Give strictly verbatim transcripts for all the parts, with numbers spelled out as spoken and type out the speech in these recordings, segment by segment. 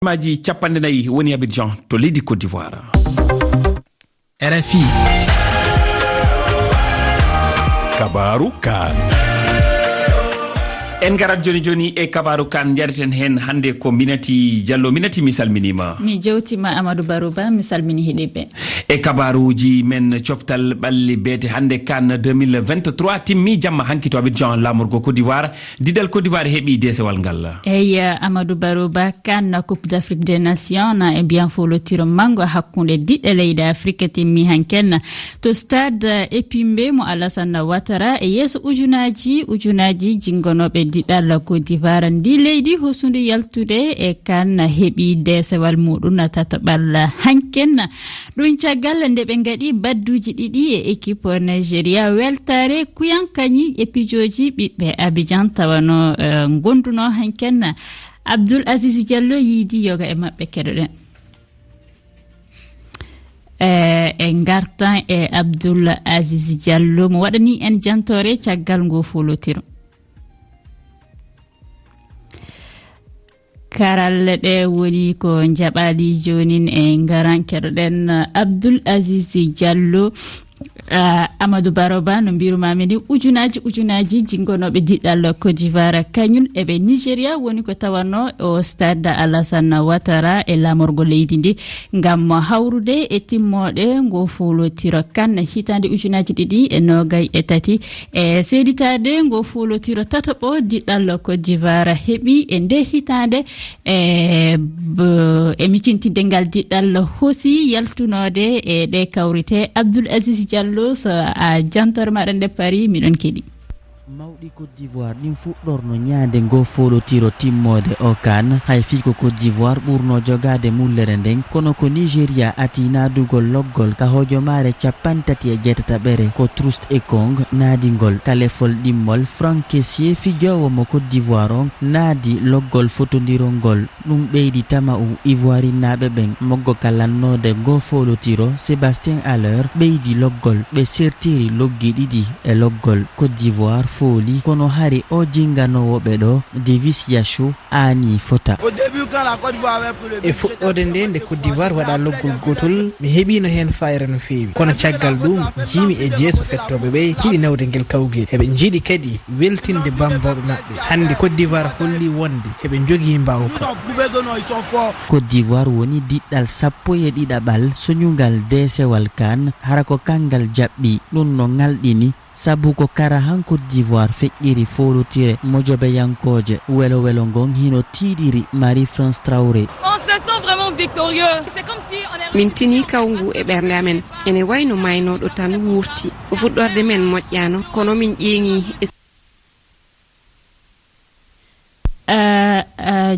Aji capanɗe nayi woni Abidjan to leydi Côte d'Ivoire. R F I. Kabaaru kaan. En ngarat jooni jooni e kabaaru kaan, njareten heen hannde ko Minati Diallo. Minati, mi salminiima. Mi jewtiima Amadou Barouba, mi salmini heɗiiɓe. E kabaaruuji men, coftal ɓalli beete hannde kaan deux mille vingt-trois timmi jamma hanki to Abidjan, laamorgo Côte d'Ivoire. Diɗal Côte d'Ivoire heɓi deesewal ngal. Eyi, Amadou Barouba, kaan Coupe d'Afrique des Nations na e mbiyan foolotiro manngo hakkunde diɗɗe leyɗe Afrique timmi hanken to stade Epimbe mo Alassane Ouattara e yeeso ujunaaji, ujunaaji jinngonooɓe diɗal Côte d'Ivoire. Ndi leydi hosundu yaltude e kaan heɓi deesewal muɗum tataɓal hanken. Ɗum caggal nde ɓe ngaɗi badduuji ɗiɗi e équipe Nigeria weltaare kuyankañi e pijooji ɓiɓɓe Abidjan tawano, eh, ngonduno hanken. Abdoul Aziz Diallo yiidi yoga e maɓɓe, keɗoɗen. Eh, e ngartan e Abdoul Aziz Diallo mo waɗani en jantoore caggal ngo foolotiro. Karalle ɗe woni ko njaɓaali joonin e ngaran keɗoɗen Abdoul Aziz Diallo. Ah, Amadou Baroba, no mbirumaami ni, ujunaaji, ujunaaji jinngonooɓe diɗɗal Côte d'Ivoire, kañum eɓe Nigeria woni ko tawanno o stade Alassane Ouattara e laamorgo leydi ndi, ngam hawrude e timmooɗe ngo foolotiro kan hitaande ujunaaji ɗiɗi e noogay e tati, e seeditaade ngo foolotiro tataɓo diɗɗal Côte d'Ivoire heɓi e nde hitaande. E b-, e micintinde ngal diɗɗal hosi yaltunoode e ɗe kawrite. Abdoul Aziz Diallo, so a jantore maɗa nde Paris, miɗon keɗi. Mawɗi Côte d'Ivoire ɗin fuɗɗorno ñaande ngo foolotiro timmoode o kan. Hay fii ko Côte d'Ivoire ɓurno jogaade mullere nden, kono ko Nigeria ati naadugol loggol ka hojomaare cappanɗe tati e jeetataɓere, ko Trust Ekong naadingol. Ka lefol ɗimmol, Franck Kessié, fijoowo mo Côte d'Ivoire on, naadi loggol fotondirol ngol. Ɗum ɓeydi tama'u Ivoirinnaaɓe ɓen. Moggo ka lannoode ngoo foolotiro, Sébastien Haller, ɓeydi loggol. Ɓe sertiri loggi ɗiɗi e loggol. Côte d'Ivoire fooli, kono hari o jinganoowo ɓe ɗoo, Davis Yachou, aanii fota. E fuɗɗoode nde, nde Côte d'Ivoire waɗa loggol gootol, mi heɓiino heen faayre no feewi. Kono caggal ɗum, njiimi e jeeso fettooɓe ɓe, njiɗi nawde ngel kawgel. Eɓe njiɗi kadi weltinde bammbooɓe maɓɓe. Hannde Côte d'Ivoire holli wonde eɓe njogii mbaawka. Côte d'Ivoire woni diɗɗal sappo e ɗiɗaɓal soñungal deesewal kan, hara ko kanngal jaɓɓi. Ɗum no ŋalɗini, sabu ko kara han Côte d'Ivoire feƴƴiri foolotire mojobeyankooje. Welo welo ngon hino tiiɗiri Marie-France Traoré. On se sent vraiment victorieux. C'est comme si on est Min tinii kawngu e ɓernde amen. Ene wayno maaynooɗo tan wuurti. Ko fuɗɗorde men moƴƴaano, kono min ƴeeŋii e A, a,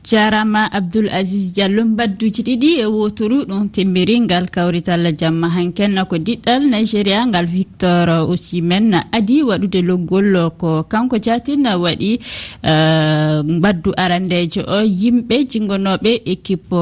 jaaraama Abdoul Aziz Diallo. Mbadduuji ɗiɗi e wooturu ɗum timmiri ngal kawrital jamma hanken. Ko diɗɗal Nigeria ngal Victor Osimhen adii waɗude loggol, ko kanko jaatin waɗi, eh, mbaddu arandeejo o. Yimɓe jinngonooɓe équipe,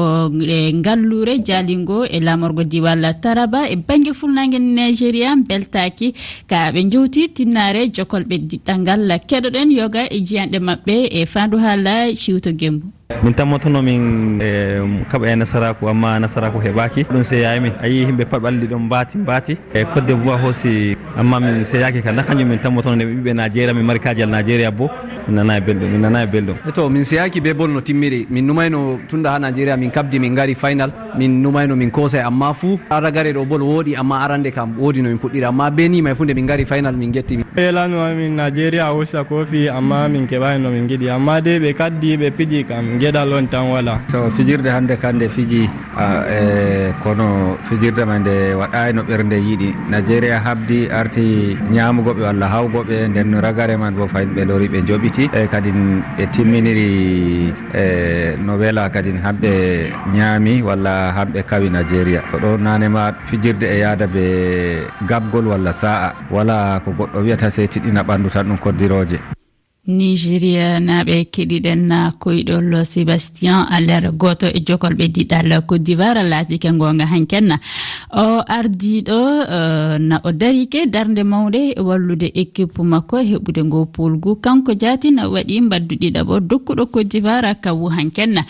eh, ngalluure jaalingo e laamorgo diwal Taraba e bannge Fuɗnaange Nigeria mbeltaaki ka ɓe njowti tinnaare jokol ɓe diɗɗal ngal. Keɗoɗen yoga e jiyanɗe maɓɓe e faandu haala Ciwto Gembu. Min tammotono min, eh, kaɓa e nasaraaku, amma nasaraaku heɓaaki. Ɗum seyaay min. A yii yimɓe pat ɓalli ɗon mbaati, mbaati. E Côte d'Ivoire hoosi, amma min seyaaki ka. Na kanjum min tammotono nde ɓiɓɓe Nigeria, min mari kaajal Nigeria bo. Min nanaay belɗum, min nanaay belɗum. E to, min seyaaki be bol no timmiri. Min numayno tunda ha Nigeria min kabdi, min ngari final. Min numayno min koosay, amma fuu ragare ɗo bol wooɗi, amma arande kam woodi no min puɗɗiri, amma be ni may fuu nde min ngari final min getti. Ɓe lanno min Nigeria hosa kofi, amma min keɓayi no min giɗi, amma de ɓe kaddi ɓe piji kam geɗal on tan wala. To fijirde hande kande fiji, a, e, kono fijirde may nde waɗayi no ɓernde yiɗi. Nigeria habdi arti ñaamugo ɓe walla hawgo ɓe, nden ragare man bo fayin ɓe lori ɓe joɓiti, e, kadin ɓe timminiri. E no wela kadin hamɓe ñaami walla hamɓe kawi Nigeria. Ko ɗo nane ma fijirde e yaada be gabgol walla sa'a. Wala ko goɗɗo wiyata sey tiɗɗina ɓandu tan ɗum koddirooje. Nigeria naaɓe keɗiɗen na koyɗol Sébastien Haller, gooto e jokol ɓe diɗal Côte d'Ivoire, laatike ngoonga hanken na. O ardiiɗo, eh, na o darike darnde mawnde e wallude équipe makko e heɓude ngoo pool ngu. Kanko jaatin waɗi mbaddu ɗiɗaɓo dokkuɗo Côte d'Ivoire kawu hanken.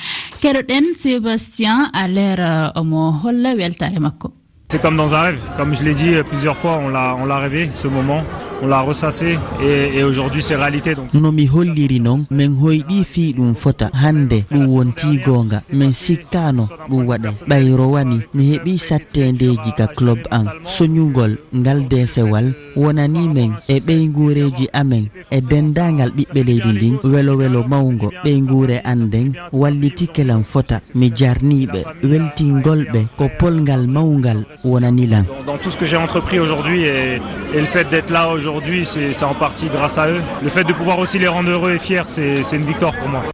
Keɗoɗen Sébastien Allaire, eh, omo holla weltaare makko. C'est comme dans un rêve. Comme je l'ai dit, euh, plusieurs fois, on l'a, on l'a rêvé, ce moment. On l'a ressassé et, et aujourd'hui, c'est réalité. Donc, no mi holliri non, min hoyɗi fii ɗum fota. Hannde ɗum wontii goonga. Min sikkaano ɗum waɗay. Ɓay rowani, mi heɓi satteendeeji ka club an. Soñugol ngal deesewal wonanii min e ɓeynguureeji amen e denndaangal ɓiɓɓe leydi ndin. Welo welo mawngo ɓeynguure an nden wallitike lan fota. Mi jarnii ɓe, weltingol ɓe ko polngal mawngal wonani lan. Dans, dans tout ce que j'ai entrepris aujourd'hui et, et le fait d'être là aujourd'hui, c'est, c'est en partie grâce à eux. Le fait de pouvoir aussi les rendre heureux et fiers, c'est, c'est une victoire pour moi.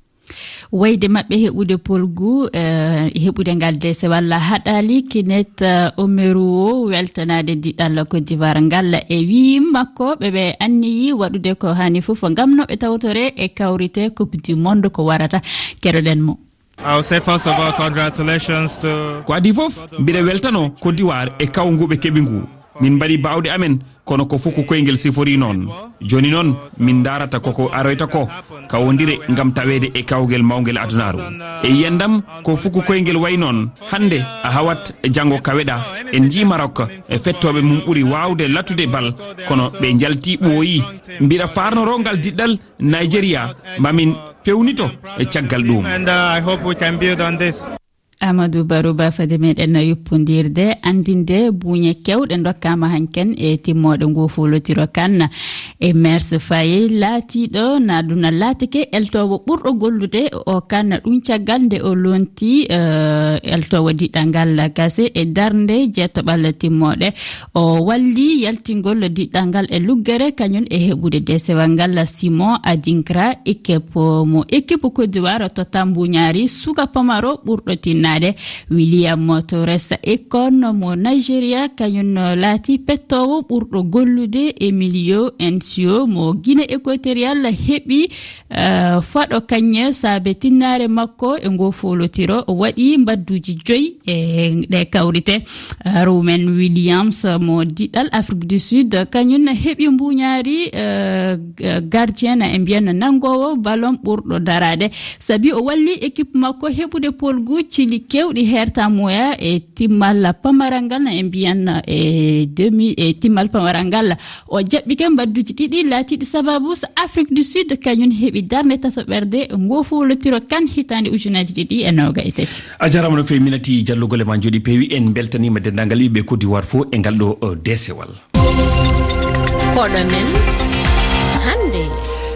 Wayde maɓɓe heɓude polgu, eh, heɓude ngal dese walla haɗaali, Kinet, eh, Omeru o weltanaade diɗal Côte d'Ivoire ngal e wii makko ɓe ɓe anniyi waɗude ko hani fof ngam no ɓe tawtore e kawrite Coupe du Monde ko warata. Keɗoɗen mo. I will say first of all, congratulations to Ko adii fof, mbiɗa weltano Côte d'Ivoire e kawngu ɓe keɓi ngu. Min mbaɗi baawɗe amen, kono ko fuku koyngel sifori noon. Jooni noon, min ndaarata koko aroyta ko, kawondire ngam taweede e kawgel mawngel adunaaru. E yiyandam, ko fuku koyngel wayi noon. Hannde, a hawat, janngo kaweɗa. En njii Maroc, e fettooɓe mum ɓuri waawde latude bal, kono ɓe njalti ɓooyi. Mbiɗa faarnoroo ngal diɗɗal Nigeria, mamin pewnito e caggal ɗum. And, uh, I hope we can build on this. Amadou Barouba, fade meɗen yuppondirde, andinde buuñe kewɗe dokkaama hanken e timmooɗe ngoo foolotiro kan. E Mers Faye laatiiɗo na ɗum na laatike eltoowo ɓurɗo gollude o kan ɗum caggal nde o lonti, eh, eltoowo diɗɗal ngal gase e darnde jeetoɓal timmooɗe. O walli yaltingol diɗɗal ngal e luggere, kañum e heɓude desewal ngal Simon Adinkra, équipe mo équipe Côte d'Ivoire totta mbuñaari suka pamaro ɓurɗo tinnaade. William Torres Ekong mo Nigeria, kañum laati pettoowo ɓurɗo gollude. Emilio Ensio mo Guinée Équatoriale heɓi, eh, faɗo kañe saabe tinnaare makko e ngoo foolotiro. O waɗi mbadduuji joyi e ɗe kawrite. Rumen Williams mo diɗal Afrique du Sud, kañum heɓi mbuñaari, eh, g-, gardien e mbiyan nanngoowo ballon ɓurɗo daraade, sabi o walli équipe makko heɓude polgu cili kewɗi hertamoya e timmal pamaral ngal e mbiyan e demi, e timmal pamaral ngal. O jaɓɓike mbadduuji ɗiɗi laatiiɗi sababu so Afrique du Sud kañum heɓi darnde tataɓerde ngoo foolotiro kan hitaande ujunaaji ɗiɗi e nooga e tati. A jarama no fewi Minati, jallugol e ma jooɗi peewi. En beltanima denndaangal ɓiɓɓe Côte d'Ivoire fof e ngal ɗo, eh, desewal. Koɗo men hannde.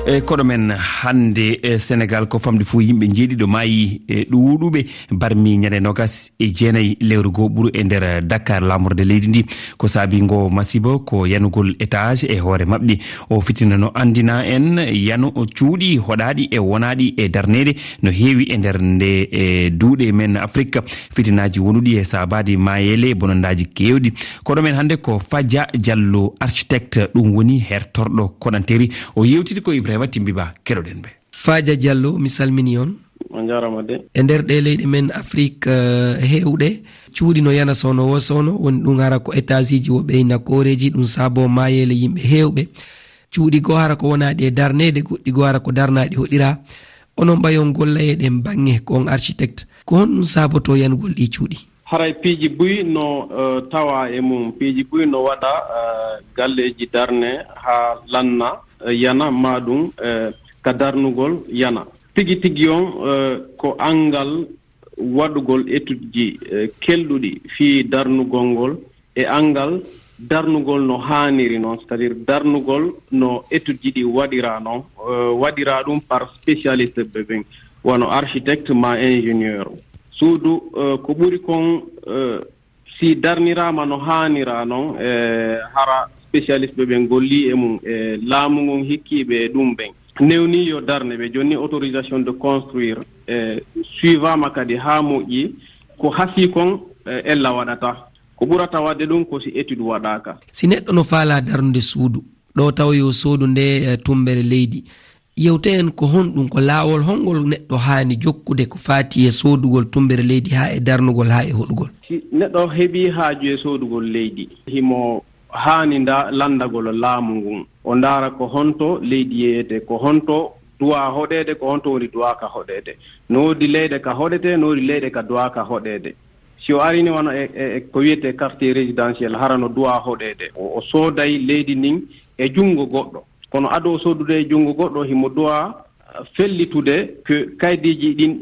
E koɗo men hannde, e Sénégal ko famɗi fof yimɓe njeeɗiɗo maayi, e ɗuuɗuɓe barmi ñande nogas e jeenayi lewru goo ɓuru e nder Dakar, laamorde leydi ndi. Ko saabi ngo masibo ko yanugol étage e hoore maɓɓe. O fitina no anndina en yano cuuɗi hoɗaaɗi e wonaaɗi e darneede no heewi e nder nde, e duuɗe men Afrique. Fitinaaji wonuɗi e saabaade maayeele e bonondaaji keewɗi. Koɗo men hannde ko Fadia Diallo, architecte, ɗum woni hertorɗo koɗanteri. O yewtiti ko Ibrahima Timbi Ba, keɗoɗen ɓe. Fadia Diallo, mi salmini on. On njaaraama de. E nder ɗe leyɗe men Afrique, eh, heewɗe, cuuɗi no yana soono wo soono, woni ɗum hara ko étageji wo ɓeyna kooreeji, ɗum saabo maayeele yimɓe heewɓe. Cuuɗi goo hara ko wonaaɗi e darneede, goɗɗi goo hara ko darnaaɗi hoɗira. Onon ɓayon golla e ɗen baŋŋe, ko on architecte. Ko honɗum saabotoo yanugol ɗii cuuɗi? Haray piiji buy no, eh, tawa e mum. Piiji buy no waɗa, eh, galleeji darne haa lanna, eh, yana, maa ɗum, eh, ka darnugol yana. Tigi tigi on, eh, ko anngal waɗugol étude ji, eh, kelɗuɗi fii darnugol ngol e anngal darnugol no haaniri non, c'est-à-dire darnugol no étude ji ɗi waɗira non, eh, waɗira ɗum par spécialiste ɓe ɓen, wano architecte ma ingénieur. Suudu, eh, ko ɓuri kon, eh, si darniraama no haanira non, eh, hara spécialiste ɓe ɓen golli e mum, e laamu ngun hikkiiɓe e ɗum ɓen. Newni yo darne ɓe jonni autorisation de construire, eh, suivama kadi haa moƴƴi, ko hasii kon, eh, ella waɗata. Ko ɓurata waɗde ɗum ko si étude waɗaaka. Si neɗɗo no faalaa darnude suudu, ɗo tawa yo soodu nde, eh, tummbere leydi, Yewte en ko honɗum, ko laawol hongol neɗɗo haani jokkude ko faati e soodugol tummbere leydi haa e darnugol haa e hoɗugol? Si neɗɗo heɓii haaju e soodugol leydi, himo haani nda-, lanndagol laamu ngun. O ndaara ko honto leydi yeeyete, ko honto duwaa hoɗeede, ko honto woni duwaa ka hoɗeede. No woodi leyɗe ka hoɗetee, no woodi leyɗe ka duwaa ka hoɗeede. Si o arini wano e, e, e ko wiyetee quartier résidentiel, hara no duwaa hoɗeede. O, o sooday leydi ndin e junngo goɗɗo. Kono ado o soodude e junngo goɗɗo, himo duwaa, ah, fellitude ko kaydiiji ɗin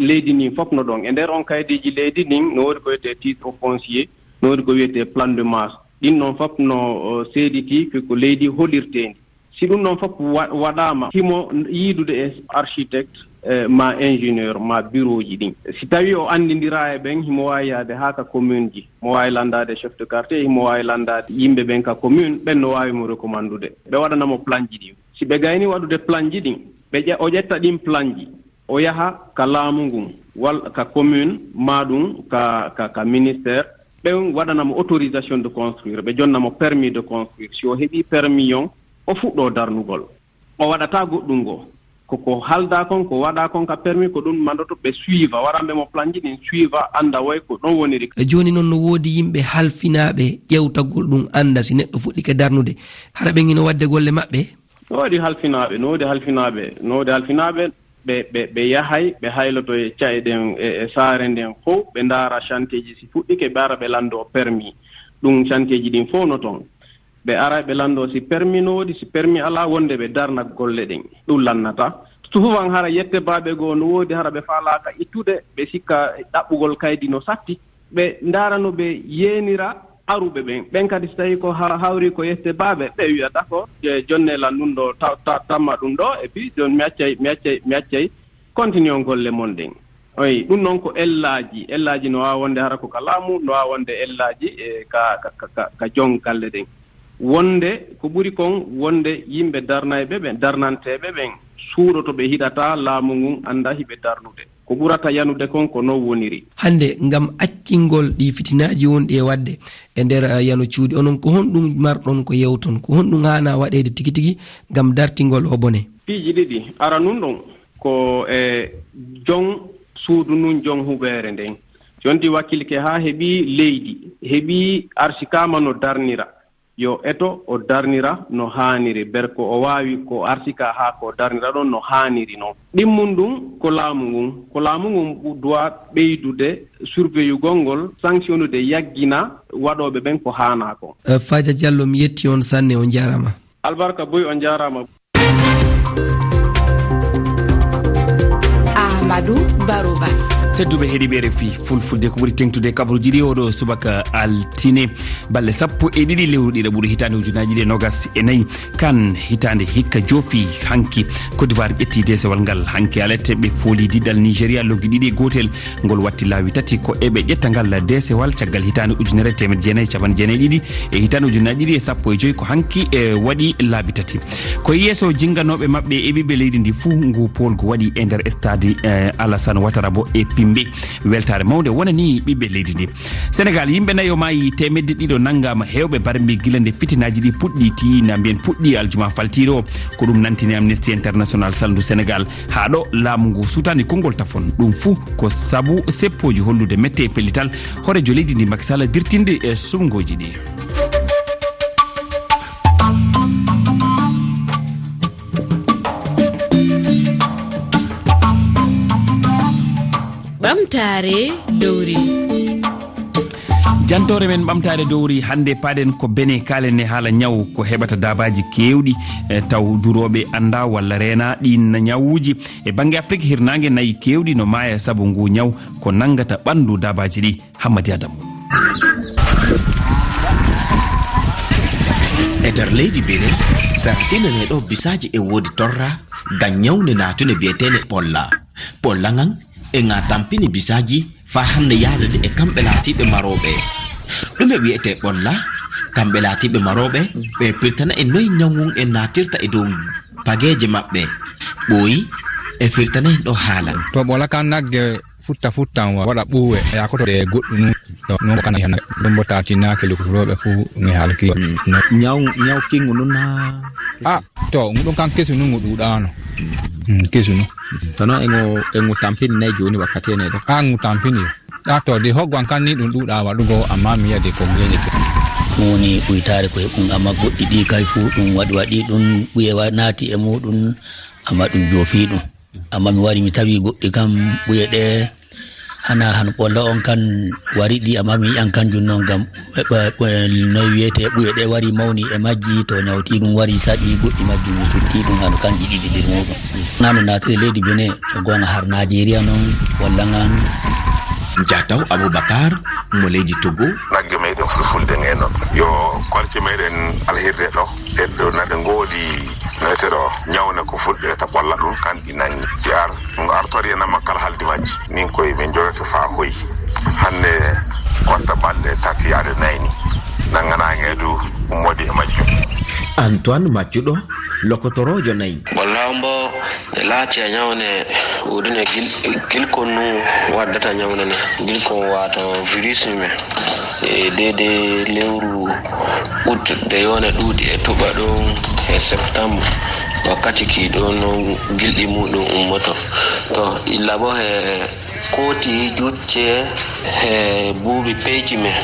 leydi ndin fof no ɗon. E nder on kaydiiji leydi ndin, no woodi ko wiyetee titre foncier, no woodi ko wiyetee plan de masse. Ɗin non fof no, o, seeditii ko, ko leydi holirteendi. Si ɗum ɗon fof wa-, waɗaama, himo yiidude e architecte, eh, ma ingénieur, ma bureau ji ɗin. Si tawii o anndindiraa e ɓen, himo waawi yaade haa ka commune ji. Mo waawi lanndaade chef de quartier, himo waawi lanndaade yimɓe ɓen ka commune, ɓen no waawi mo recommandude. Ɓe waɗana mo plan ji ɗin. Si ɓe gayni waɗude plan ji ɗin, ɓe ƴe-, o ƴetta ɗin plan ji, o yaha ka laamu ngun, walla ka commune, maa ɗum ka, ka, ka ministère, ɓen waɗana mo autorisation de construire, ɓe jonna mo permis de construire. Si o heɓii permis on, o fuɗɗoo darnugol. O waɗataa goɗɗum goo. Ko, ko haaldaa kon, ko waɗaa kon ka permis, ko ɗum mandoto ɓe suiva, waɗanɓe mo plan ji ɗin suiva, annda woy ko ɗon woniri. E jooni non no woodi yimɓe halfinaaɓe ƴewtagol ɗum, annda si neɗɗo fuɗɗike darnude, hara ɓen hino waɗde golle maɓɓe? No woodi halfinaaɓe, no woodi halfinaaɓe, no woodi halfinaaɓe, ɓe, ɓe, ɓe yahay, ɓe hayloto e ca'e ɗen, e, e saare nden fow, ɓe ndaara chantier ji si fuɗɗike, ɓe ara ɓe lanndoo permis. Ɗum chantier ji ɗin fow no ton. Ɓe ara ɓe lanndoo si permis no woodi, si permis alaa, wonde ɓe darna golle ɗen. Ɗum lannata. Souvent hara yette baaɓe goo no woodi, hara ɓe faalaaka ittude, ɓe sikka ɗaɓɓugol kaydi no satti. Ɓe ndaara no ɓe yeenira aruɓe ɓen. Ɓen kadi, si tawii ko ha-, hawri ko yette baaɓe, ɓe wi'a, "D'accord, je-, jonne lan ɗum ɗo, ta-, ta-, tamma ɗum ɗo, et puis, jon-, mi accay, mi accay, mi accay, continuons golle mon ɗen." Oy, ɗum noon ko ellaaji. Ellaaji no waawa wonde hara ko ka laamu, no waawa wonde ellaaji, e, ka, ka, ka, ka, ka jon galle ɗen. Wonde ko ɓuri kon, wonde yimɓe darnayɓe ɓen, darnanteeɓe ɓen, suuɗoto ɓe hiɗata laamu ngun, annda hiɓe darnude. Ko ɓurata yanude kon ko non woniri. Hannde, ngam accingol ɗi fitinaaji wonɗi e waɗde e nder, eh, yano cuuɗi, onon ko honɗum marɗon ko yewton? Ko honɗum haana waɗeede tigi tigi ngam dartingol o bone? Piiji ɗiɗi. Aranun ɗon ko e jon suudu ndun, jon huɓeere nden. Jonti wakkilke haa heɓi leydi, heɓi arsikaama no darnira. Yo eto o darnira no haaniri, ber ko o waawi ko arsika haa ko darnira ɗon no haaniri non. Ɗimmun ɗum ko laamu ngun, ko laamu ngun bu-, duwa ɓeydude surveillugol ngol, sanctionnude, yaggina waɗooɓe ɓen ko haanaa kon. Eh, Faaja Jallo, mi yetti on sanne, on jaaraama. Albarka Boy, on jaaraama. Amadou Barouba. Tedduɓe heɗiiɓe R F I Fulfulde, ko ɓuri teŋtude kabaruuji ɗi oɗo subaka altine, balɗe sappo e ɗiɗi lewru ɗiɗaɓuru hitaande ujunaaji ɗiɗi e nogas e nayi. Kan hitaande hikka joofi hanki. Côte d'Ivoire ƴetti deesewal ngal hanki alete, ɓe fooli diɗal Nigeria loggi ɗiɗi e gootel. Ngol watti laabi tati ko eɓe ƴetta ngal deesewal caggal hitaande ujunere e teemedde jeenayi e capanɗe jeenayi e ɗiɗi e hitaande ujunaaji ɗiɗi e sappo e joy, ko hanki e waɗi laabi tati. Ko yeeso jinganooɓe maɓɓe e ɓiɓɓe leydi ndi fuu ngu poolgu waɗi e nder stade, eh, Alassane Ouattara Bo e Pimbe. Weltaare mawnde wonani ɓiɓɓe leydi ndi. Senegal, yimɓe nayo maayi, teemedde ɗiɗo nanngaama, heewɓe barmi gila nde fitinaaji ɗi puɗɗi, tii na mbiyen puɗɗi aljuma faltiiɗo. Ko ɗum nantini Amnesty International salndu Senegal. Haa ɗo laamu ngu suutaani konngol tafon. Ɗum fuu ko sabu seppooji hollude mette e pellital hooreejo leydi ndi Macky Sall dirtinde e suɓngooji ɗi. Ɓamtaare dowri. Jantoore men ɓamtaare dowri hannde, paaɗen ko Benin, kaalen e haala ñaw ko heɓata daabaaji keewɗi, e taw durooɓe anndaa walla reenaa ɗiin ñawuuji. E bannge Afrik hirnaange, nayi keewɗi no maaya sabu ngu ñaw, ko nanngata ɓanndu daabaaji ɗi. Hammadi Adamu. E nder leydi Benin, sarɗinanee ɗo bisaaji e woodi torra, ngam ñawne naatune biyeteene ɓolla. Ɓolla ngan e nga tampini bisaaji faa hannde yaadade e kamɓe laatiiɓe marooɓe. Ɗume wiyetee ɓolla? Kamɓe laatiiɓe marooɓe, ɓe pirtana en noy ñaw ngun en naatirta e dow pageeje maɓɓe. Ɓooyi, e firtana en ɗo haala. To ɓolla kan nagge futta futtan wa-, waɗa ɓuuwe, yaakoto e goɗɗum nun. To non ko kana hen. Ɗum bo taatinaake lukurooɓe fu nge halki. Mm. No. Ñaw, ñaw kingu nun na Ah, to, ngu ɗum kan kesu nun ngu ɗuuɗaano. Mm, kesu nun. Kono e ngu, e ngu tampini nayi jooni wakkati ene ɗo. Ah, ngu tampini. Ah, to, de hoggo an kan ni ɗum ɗuuɗa waɗugo, amma mi yi'a de ko ngeñete. Ɗum woni ɓuytaare ko e ɗum, amma goɗɗi ɗi kay fuu ɗum waɗi, waɗi ɗum ɓuye wa-, naati e muɗum, amma ɗum joofi ɗum. Amma mi wari mi tawi goɗɗi kam ɓuye ɗe hana han ɓolla on kan wari ɗi, amma mi yi'an kanjum non gam ɓe, ɓe, ɓe, noy wiyete ɓuye ɗe wari mawni e majji, to nyawtigum wari saɗi goɗɗi majjum mi sutti ɗum hano kanji ɗiɗi nder muɗum. Nano natire leydi Benin, to gonga har Najeriya non, walla ngan. Jataw Abubakar mo leydi Togo. Nagge meɗen fulfulde nge non. Yo kolce meɗen alhirde ɗo. E ɗo naɗe ngoodi metero nyawne ko fulɓe ta ɓolla ɗum kan ɗi nangi. Ɗi ar-, ɗum artori e nama kala haldi majji. Min koye min jogake faa hoyi. Hannde konta balɗe tati yaade nayi ni. Nanganaange du ummodi e majjum. Antoine Maccuɗo, lokotoroojo nayi. Ɓolla on bo e laati a nyawne woodune gil-, gilkon nu waddata nyawne ne. Gilkon wato virus ni men. E deydey lewru ut de yone ɗuuɗi e tuɓa ɗum e septembre. Wakkati ki ɗo no gilɗi muɗum ummoto. To illa bo he kooti jucce he buubi peyci men.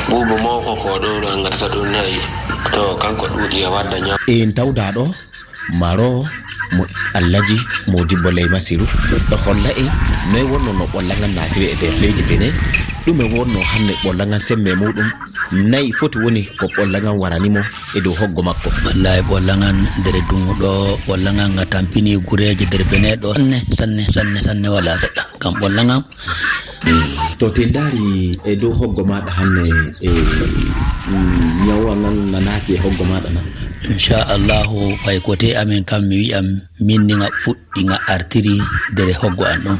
Buubu mawko ko ɗo ɗo ngatata ɗum nayi. To kanko ɗuuɗi e wadda nyam. En tawda ɗo. Maro mo Allaji Modibbo Ley Masiru ɗo holla en noy wonno no ɓolla ngan naatiri e nder leydi Benin, ɗume wonno hannde ɓolla ngan semme muɗum, nayi foti woni ko ɓolla ngan warani mo e dow hoggo makko. Wallahi ɓolla ngan nder dungu ɗo, ɓolla ngan nga tampini gureeje nder Benin ɗo sanne, sanne, sanne, sanne wala seɗɗa. Kam ɓolla ngan To te ndaari e dow hoggo maaɗa hannde, e, mm, ñawa ngan na naati e hoggo maaɗa na? Inchallahu, ɓay ko te amen kam mi wi'an min ni nga fuɗɗi nga artiri nder hoggo an ɗon.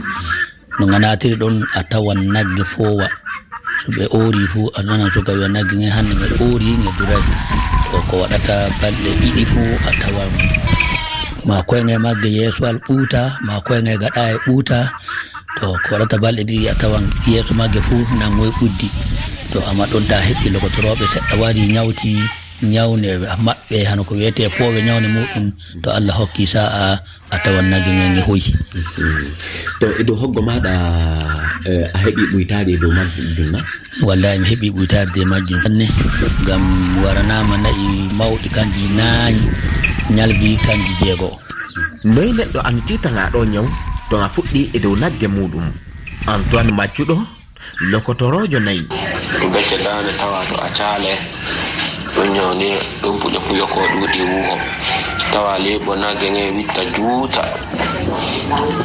No nga naatiri ɗon a tawan nagge foowa. So ɓe oori fu, a nanan suka wi'a nagge nge hannde nge oori, nge duray. To ko waɗata balɗe ɗiɗi fu, a tawan ma koynge magge yeeso al ɓuuta, ma koynge gaɗa e ɓuuta. To ko waɗata balɗe ɗiɗi a tawan yeeso magge fuu nangoy ɓuddi. To amma ɗon ta heɓɓi lokotorooɓe seɗɗa wari ñawti ñawne maɓɓe hano ko wiyetee poowe ñawne muɗum. To Allah hokki sa'a a tawan nagge nge nge hoyi. To e dow hoggo maaɗa, eh, a heɓi ɓuytaade e dow majjum na? Wallahi mi heɓi ɓuytaade e majjum sanne. Ngam mi waranaama na'i mawɗi kanji naañ, ñalbi kanji jeego. Noy neɗɗo annitirta nga ɗo ñaw to nga fuɗɗi e dow nagge muɗum? Antoine Maccuɗo, lokotoroojo nayi. Becce daande tawa to a caale, ɗum ñawni, ɗum puƴo puƴo ko ɗuuɗi wuho. Tawa liɓo nagge nge witta juuta.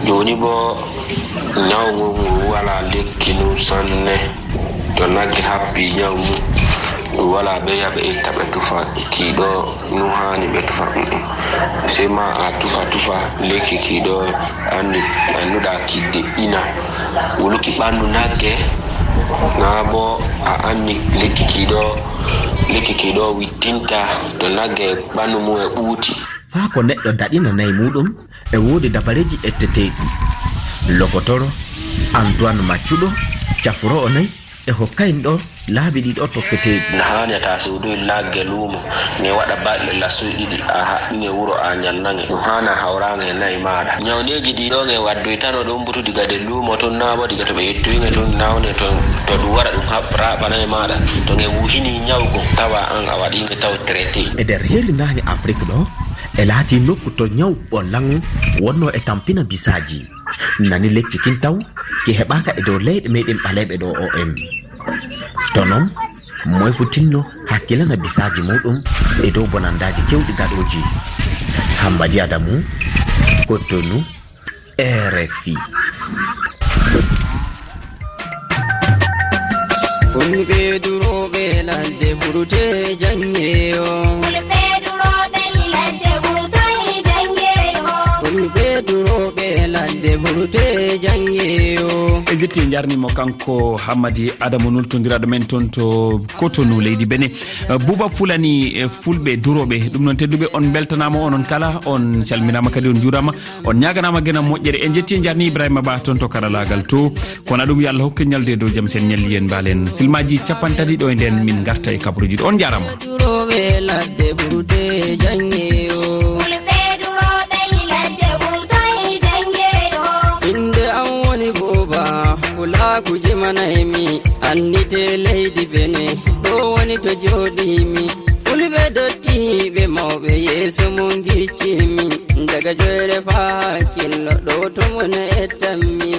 Jooni bo ñaw ngu ngu wala lekki nu sanne. To nagge happi ñaw ngu, ɗum wala ɓe yaɓe itta ɓe tufa kiiɗo. Nu haani ɓe tufa ɗum. Sey ma a tufa tufa lekki ki ɗo anndi, annduɗa ki deƴƴina. Wuluki ɓanndu nagge, naa bo a anndi lekki ki ɗo, lekki ki ɗo wittinta to nagge ɓanndu mum e ɓuuti. Faa ko neɗɗo daɗina nayi muɗum, e woodi dabareeji etteteeɗi. Lokotoro Antoine Maccuɗo, cafroowo nayi, e hokkayno ɗo laabi ɗiɗo tokketeeɗi. No haani a taa suudu nagge luumo, nge waɗa balɗe lassuy ɗiɗi, a haɓɓi nge wuro a ñanna nge. Ɗum haana hawraange e nayi maaɗa. Ñawneeji ɗi ɗo nge waddoytano ɗum butu diga nder luumo tun, naa bo diga to ɓe yettoyi nge tun nawne to, to ɗum wara ɗum haɓ-, raaɓa nayi maaɗa. To nge wuhini ñawgo, tawa an a waɗi nge taw traité. E nder hirrinaange Afrik ɗo, e laati nokku to ñaw ɓollangu wonno e tampina bisaaji. Nani lekki kin taw, ki heɓaaka e dow leyɗe meɗen ɓaleeɓe ɗo O M. To non, moy fu tinno hakkilana bisaaji muɗum e dow bonandaaji kewɗi gaɗooji. Hammadi Adamu, Cotonou, R F I. Fulɓe durooɓe ladde burte jannge o. Fulɓe durooɓe ladde burte jannge o. Fulɓe durooɓe ladde burte jannge o. En jetti, en jarnimo kanko Hammadi Adamu, nultondiraaɗo men toon to Cotonou, leydi Benin. Eh, Buuba Fulani, eh, Fulɓe durooɓe. Ɗum noon, tedduɓe, on mbeltanaama, onon kala. On calminaama kadi, on njuuraama. On ñaaganaama gena moƴƴere. En njetti, en njarni Ibrahima Ba toon to karalaagal to. Kono ɗum, yo Allah hokku en ñalde dow jam, sen ñalli en mbaalen silmaaji capanɗe tati ɗo e nden min ngarta e kabaruuji ɗo. On njaaraama. Durooɓe ladde burte jannge o. Kuje manaymi, annite leydi Bene, ɗo woni to jooɗimi. Fulɓe dottiiɓe mawɓe yeeso mum giccimi. Daga joyre faa hakkillo, ɗo to mon ettanmi.